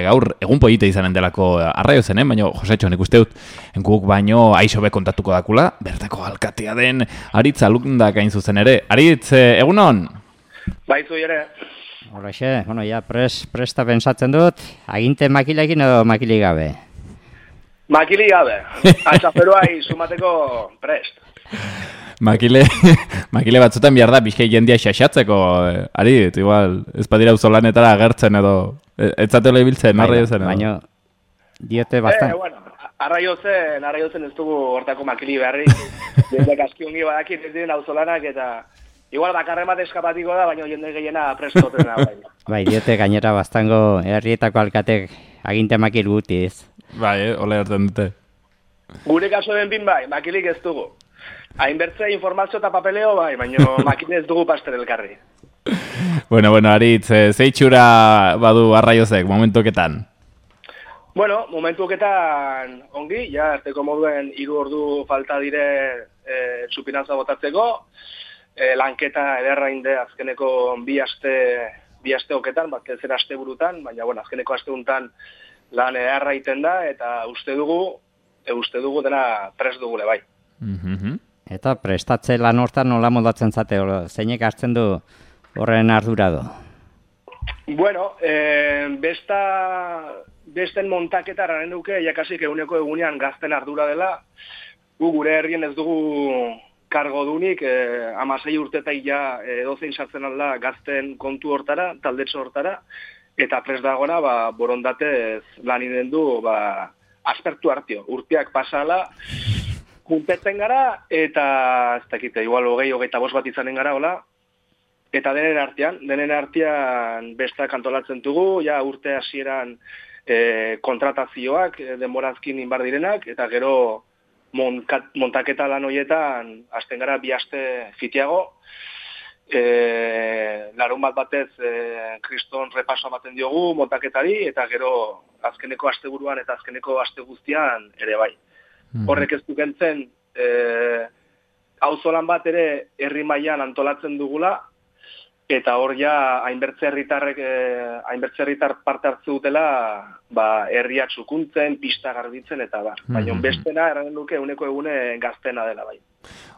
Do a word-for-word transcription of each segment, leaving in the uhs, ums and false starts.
gaur egun polite izanen delako arraio zen, eh? Baina, Josetxo, nik uste dut, guk baino aixo be kontatuko dakula, bertako alkatea den Aritz Alundak hain zuzen ere. Aritz, egunon? Baizu ere. Horrexe, bueno, ja, pres, presta pensatzen dut, aginte makilekin edo makili gabe? Makili gabe, atxaferua izumateko prest. Makile, makile batzutan behar da, bizkai jendia xaxatzeko, eh, Aritz, igual, ez badira uzolanetara agertzen edo, etzatela ibiltzen, arraio zen edo. Baina, diote bastan. Eh, bueno, arraio zen, arraio zen ez dugu hortako makili beharri. Jendek askiongi badakit ez diren auzolanak eta igual bakarren bat eskapatiko da, baina jende gehiena prestotena. Bai, bai, diote gainera bastango herrietako alkatek aginte makil gutiz. Bai, eh, ole hartzen dute. Gure kaso den bin bai, makilik ez dugu. Hainbertze informazio eta papeleo bai, baina makile ez dugu paster elkarri. Bueno, bueno, Aritz, zeitxura badu arraiozek, momentuketan? Bueno, momentuketan ongi, ja, arteko moduen hiru ordu falta dire e, txupinaza botatzeko, e, lanketa ederra inde azkeneko bi aste, bi aste oketan, bat zer aste burutan, baina, bueno, azkeneko aste untan lan ederra iten da, eta uste dugu, e, uste dugu dena prest dugule bai. Mm-hmm. Eta prestatze lan hortan nola modatzen zate, zeinek hartzen du horren ardura du? Bueno, eh, besta, besten montaketa eraren duke, jakasik eguneko egunean gazten ardura dela, gu gure herrien ez dugu kargo dunik, eh, amasei urtetai ja eh, dozein sartzen alda gazten kontu hortara, taldetxo hortara, eta prest dagoena ba, borondatez lan inen du ba, aspertu hartio, urteak pasala, juntetzen gara, eta ez dakite, igual hogei, hogeita bost bat izanen gara, hola, eta denen artean, denen artean bestak antolatzen dugu, ja urte hasieran e, kontratazioak, e, denborazkin inbar direnak, eta gero monkat, montaketa lan horietan, hasten gara bi aste fitiago, e, larun bat batez e, kriston repaso baten diogu montaketari, eta gero azkeneko asteburuan eta azkeneko aste guztian ere bai. Horrek ez dukentzen, e, auzolan bat ere herri mailan antolatzen dugula, eta hor ja hainbertze herritarrek eh, hainbertze herritar parte hartze dutela, ba herria txukuntzen, pista garbitzen eta bar. Baina bestena erranen duke eguneko egune gaztena dela bai.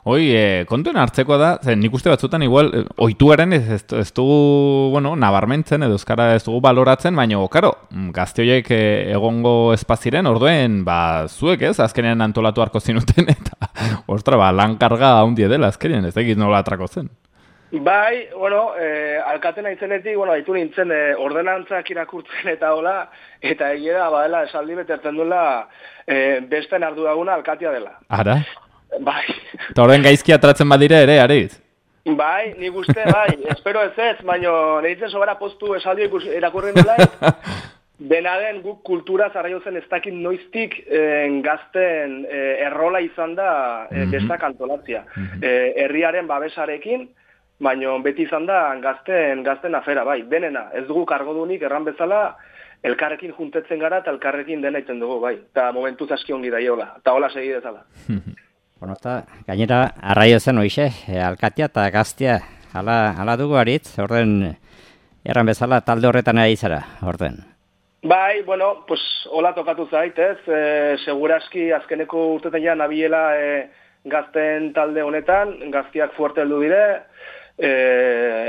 Hoi, eh, kontuen hartzekoa da, zen nik uste batzutan igual, eh, oituaren ez, ez, ez dugu, bueno, nabarmentzen edo euskara ez dugu baloratzen, baina, karo, gazte horiek eh, egongo espaziren, orduen, ba, zuek ez, azkenean antolatu harko zinuten, eta, ostra, ba, lan karga handie dela, azkenean, ez egit nola atrako zen. Bai, bueno, eh, alkatena izenetik, bueno, haitu nintzen eh, ordenantzak irakurtzen eta hola, eta egia da, badela, esaldi betertzen duela, eh, besten arduraguna alkatia dela. Ara? Bai. Eta horren gaizki atratzen badire ere, Aritz? Bai, nik uste, bai, espero ez ez, baina nehitzen sobera postu esaldi irakurren dela, dena den guk kultura zarraiozen ez dakit noiztik eh, gazten eh, errola izan da eh, bestak antolatzia. Eh, herriaren babesarekin, baina beti izan da gazten, gazten afera, bai, denena, ez dugu kargodunik erran bezala, elkarrekin juntetzen gara eta elkarrekin dena iten dugu, bai, eta momentuz aski ongi daiola, eta hola segi dezala. Bueno, eta gainera, arraio zen hoixe, e, alkatia eta gaztia, hala, hala dugu Aritz, orden, erran bezala talde horretan ari zara, orden. Bai, bueno, pues, hola tokatu zait, ez, e, seguraski azkeneko urtetan ja nabiela e, gazten talde honetan, gaztiak fuerte heldu dire, e,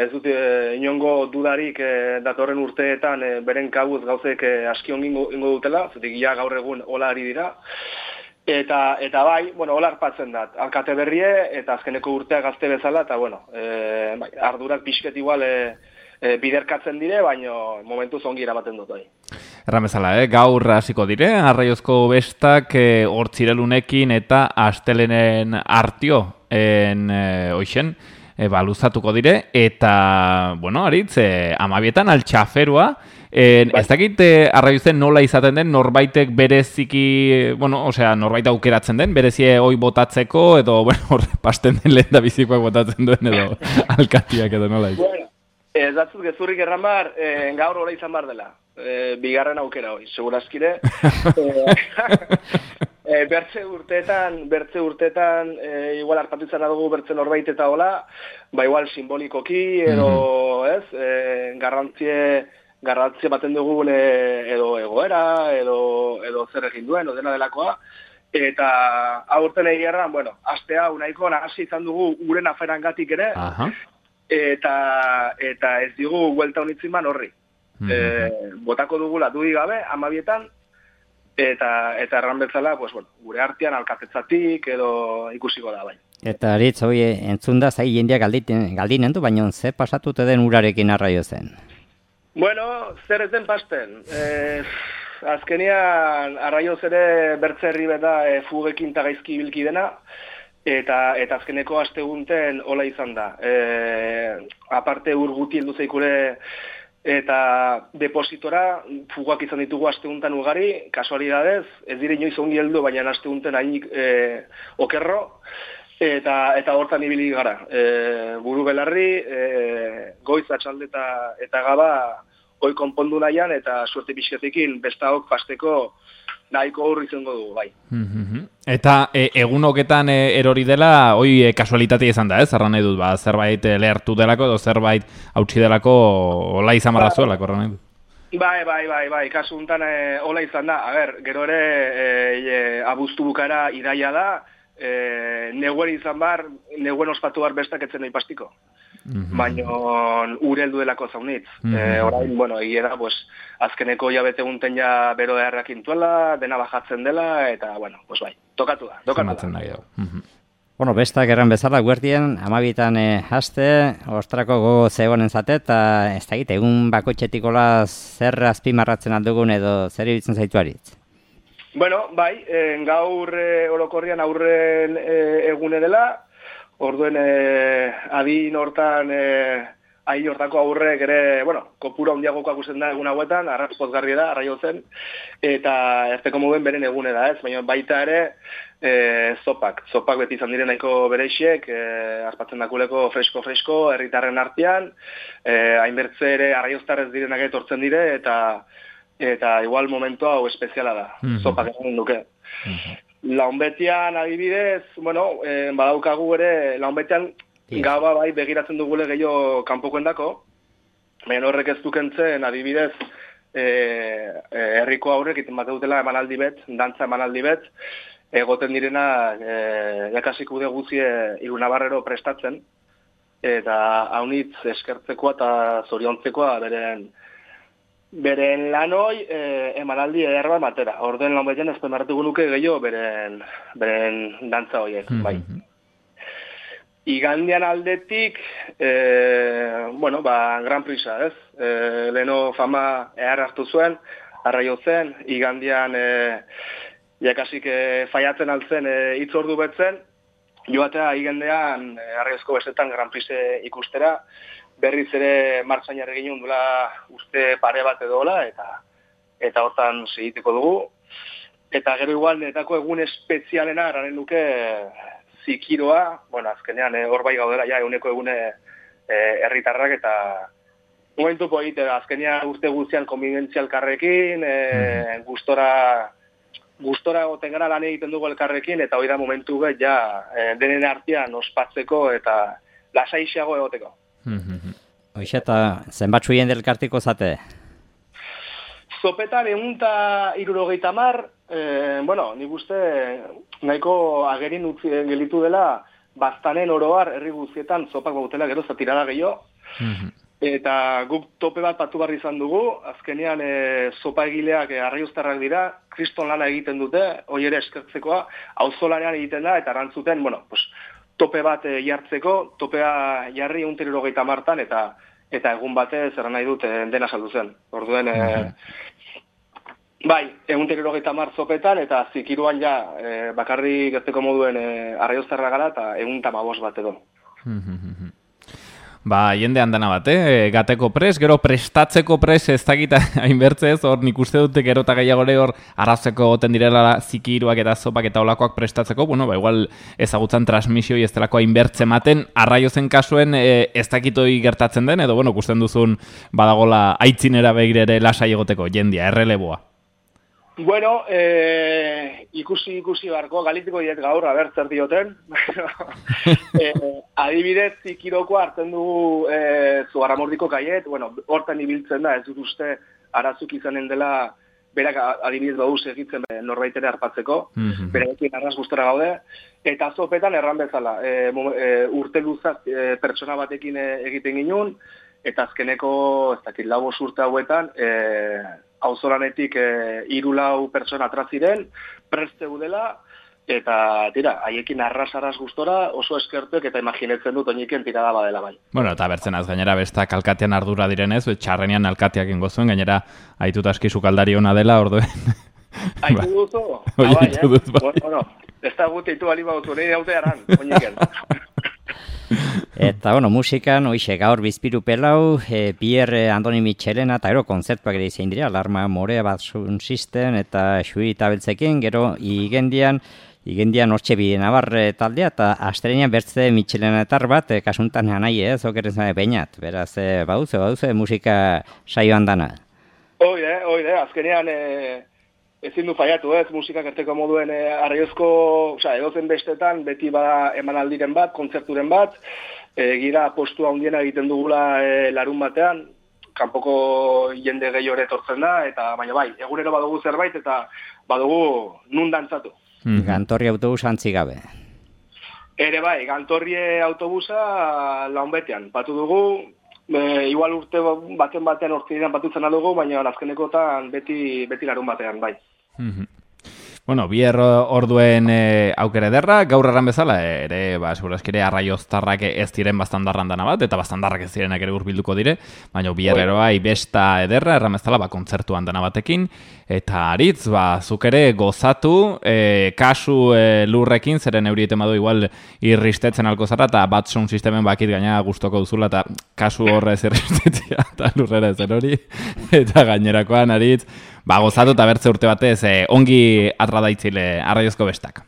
ez dut e, inongo dudarik e, datorren urteetan e, beren kabuz gauzek e, aski ongingo ingo dutela, zutik ja gaur egun hola ari dira, eta, eta bai, bueno, hola arpatzen dat, alkate berrie, eta azkeneko urtea gazte bezala, eta bueno, e, bai, ardurak pixket igual e, e, biderkatzen dire, baina momentuz ongi irabaten dut bai. Erran bezala, eh? Gaur hasiko dire, arraiozko bestak eh, hortzirelunekin eta astelenen artio en eh, oixen, eh, baluzatuko dire, eta, bueno, Aritz, eh, amabietan altxaferua, eh, ez dakit eh, arraiozen nola izaten den, norbaitek bereziki, bueno, osea, norbait aukeratzen den, berezie hoi botatzeko, edo, bueno, horre, pasten den lehen da bizikoak botatzen duen, edo, alkatiak edo nola izan. Bueno, ez datzut gezurrik erran bar, eh, gaur hori izan bar dela. E, bigarren aukera hoi, segurazkire. e, e, bertze urteetan, bertze urteetan, e, igual hartatu izan dugu bertze norbait eta hola, ba igual simbolikoki, edo, mm-hmm. ez, e, garrantzie, garrantzia baten dugun, e, edo, edo joera, edo, edo zer egin duen, odena delakoa, eta aurten egiarran, bueno, aste hau nahiko hasi izan dugu uren aferangatik ere, Aha. eta, eta ez digu huelta honitziman horri. Mhm. E, botako dugula dudik gabe, amabietan, eta eta erran bezala, pues, bueno, gure artean alkatetzatik edo ikusiko da bai. Eta aritz, hoi, entzun da, zai jendeak galdinen du, baina ze pasatute den urarekin arraio zen? Bueno, zer ez den pasten. E, azkenian, arraioz ere bertzerri beda e, fugekin eta gaizki bilki dena, eta eta azkeneko astegunten hola izan da. E, aparte ur guti heldu zeikure eta depositora fugak izan ditugu asteguntan ugari, kasualidadez, ez dire inoiz ongi heldu, baina astegunten hainik e, okerro, eta eta hortan ibili gara. E, buru belarri, e, goiz atxalde eta, eta gaba hoi konpondu nahian, eta suerte pixketekin bestaok pasteko nahiko hurri izango dugu, bai. Eta e, egun hoketan e, erori dela, hoi e, kasualitatea izan da, ez? Erran nahi dut, ba, zerbait e, lehertu delako, edo zerbait hautsi delako, hola izan barra zuelako, erran nahi dut. Bai, bai, bai, bai, kasu untan e, hola izan da. A ber, gero ere e, e, abuztu bukara iraia da, e, neguen izan bar, neguen ospatu bar bestak etzen nahi pastiko. Mm-hmm. Baina ure heldu delako zaunitz. Mm-hmm. E, orain, bueno, egia da, pues, azkeneko jabete unten ja bero errak intuela, dena bajatzen dela, eta, bueno, pues bai, tokatu da, tokatu da. Mm-hmm. Bueno, bestak erran bezala, guerdien, amabitan eh, haste, ostrako gogo zegoen zate, eta ez da egite, egun bakotxetikola zer azpimarratzen aldugun edo zer ibitzen zaitu aritz? Bueno, bai, eh, gaur eh, orokorrian aurren eh, egune dela, orduen eh, adin hortan, eh, ahi hortako aurrek ere, bueno, kopura hondiagoko akusten da egun hauetan, arratz pozgarri da, arraio zen, eta ezteko moden beren egune da, ez? Baina baita ere, e, zopak. Zopak beti izan diren nahiko bereixiek, e, aspatzen dakuleko fresko-fresko, herritarren artean, e, hainbertze ere arraioztarrez direnak etortzen dire, eta eta igual momentu hau espeziala da, mm-hmm. zopak egin duke. Mm-hmm. Launbetian adibidez, bueno, e, badaukagu ere, launbetian gaba bai begiratzen dugule gehiago kanpokoen dako, baina horrek ez dukentzen adibidez e, e, herriko aurrek iten bat dutela emanaldi bet, dantza emanaldi bet, egoten direna e, jakasik ude guzie irunabarrero prestatzen, eta haunitz eskertzekoa eta zoriontzekoa beren beren lanoi e, emanaldi ederra matera. Orden lan beten ezpemarratuko nuke gehiago beren, beren dantza horiek, mm-hmm. bai. Igandian aldetik, e, bueno, ba, Gran Prisa, ez? E, leno fama ehar hartu zuen, arraio zen, igandian e, jakasik e, faiatzen altzen e, itzordu betzen, joatea igandean e, arraiozko bestetan Gran Prisa ikustera, berriz ere martxan jarri ginen dula uste pare bat edola, eta eta hortan segiteko dugu. Eta gero igual netako egun espezialena eraren duke zikiroa, bueno, azkenean hor bai gaudela ja eguneko egune herritarrak e, eta momentu poite da, azkenean urte guztian konbibentzia elkarrekin, e, mm-hmm. gustora gustora goten gara lan egiten dugu elkarrekin, eta hori da momentu bet ja e, denen artean ospatzeko eta lasaixeago egoteko. Mm-hmm. Hoxe eta zenbatzu jende elkartiko zate? Zopetan egun eta irurogeita mar, eh, bueno, nik uste nahiko agerin utzi gelitu dela baztanen oroar herri guztietan zopak bautela gero zatirada gehiago. Mm-hmm. Eta guk tope bat patu barri izan dugu, azkenean e, zopa egileak e, arraioztarrak dira, kriston lana egiten dute, hoi ere eskertzekoa, auzolanean egiten da, eta arantzuten, bueno, pues, tope bat e, jartzeko, topea jarri egun eta irurogeita martan, eta eta egun batez erran nahi dut e, dena saldu zen. Orduen, e, mm-hmm. bai, egun eta irurogeita mar zopetan, eta zikiruan ja, e, bakarri gerteko moduen e, arraioztarra gara, eta egun eta mabos bat edo. Mm-hmm. Ba, jende handana bat, eh? Gateko pres, gero prestatzeko pres ez dakita hainbertzez, hor nik uste dute gero eta gehiagore hor arrazeko goten direla zikiruak eta zopak eta olakoak prestatzeko, bueno, ba, igual ezagutzen transmisioi ez delako hainbertze maten, arraio zen kasuen e, ez dakitoi gertatzen den, edo, bueno, kusten duzun badagola aitzinera begirere lasai egoteko, jendia, erreleboa. Bueno, eh, ikusi ikusi barko, galitiko diet gaur, aber, zer dioten. eh, adibidez, zikiroko hartzen dugu eh, Zugarramurdiko kaiet, bueno, hortan ibiltzen da, ez dut uste arazuk izanen dela berak adibidez badu segitzen norbaitera harpatzeko, Mhm. berarekin arras gustora gaude, eta azopetan erran bezala, e, e, urte luzaz e, pertsona batekin e, egiten ginuen, eta azkeneko, ez dakit, lau bost urte hauetan, e, auzolanetik e, hiru lau pertsona atraziren, preste udela, eta tira, haiekin arras-arras gustora oso eskertuek eta imaginetzen dut oiniken tirada badela bai. Bueno, eta bertzen az, gainera bestak alkatean ardura direnez, txarrenean alkateak ingo zuen, gainera aitut aski sukaldari ona dela, orduen. Aitu duzu? Bai, Ah, bai, aitu eh? dut, bai. Bueno, bueno, ez da gute itu bali bautu, nahi daute aran, oiniken. Eta, bueno, musikan, oixe, gaur bizpiru pelau, e, Pierre Andoni Michelena, eta gero kontzertuak ere izan dira, Alarma Morea bat sun system, eta Xui eta Beltzekin, gero igendian, igendian hortxe bi nabarre taldea, eta astrenean bertze Michelenetar bat, e, kasuntan hanai ez, okeren zane peinat, beraz, e, baduze, baduze, musika saioan dana. Oide, oide, azkenean e, ezin du faiatu ez, musikak erteko moduen e, arraiozko, osea, edozen bestetan, beti bada emanaldiren bat, kontzerturen bat, e, gira postua handiena egiten dugula e, larun batean, kanpoko jende gehiore etortzen da, eta baina bai, egunero badugu zerbait, eta badugu nun dantzatu. Mhm. Gantorri autobus antzi gabe. Ere bai, Gantorrie autobusa launbetean, batu dugu, e, igual urte baten batean ortsinean batutzen dugu, baina azkenekotan beti, beti larun batean, bai. Mhm. Bueno, bier orduen e, aukere ederra, gaur erran bezala, ere, ba, segurazki ere arraioztarrak ez diren bastandarran dana bat, eta bastandarrak ez direnak ere hurbilduko dire, baina bier eroai besta ederra, erran bezala, ba, kontzertuan dana batekin, eta aritz, ba, zuk ere gozatu, e, kasu e, lurrekin, zeren eurieten badu igual irristetzen alko zara, eta bat sound sistemen bakit gaina gustoko duzula, eta kasu horrez irristetzia, eta lurrera ezer hori, eta gainerakoan aritz, ba, gozatu eta bertze urte batez, eh, ongi atradaitzile arraiozko bestak.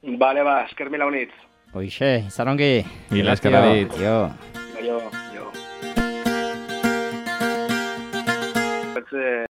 Bale, ba, esker mila honitz. Hoixe, izan ongi. Mila esker Aritz. Jo. Jo, jo. Bertze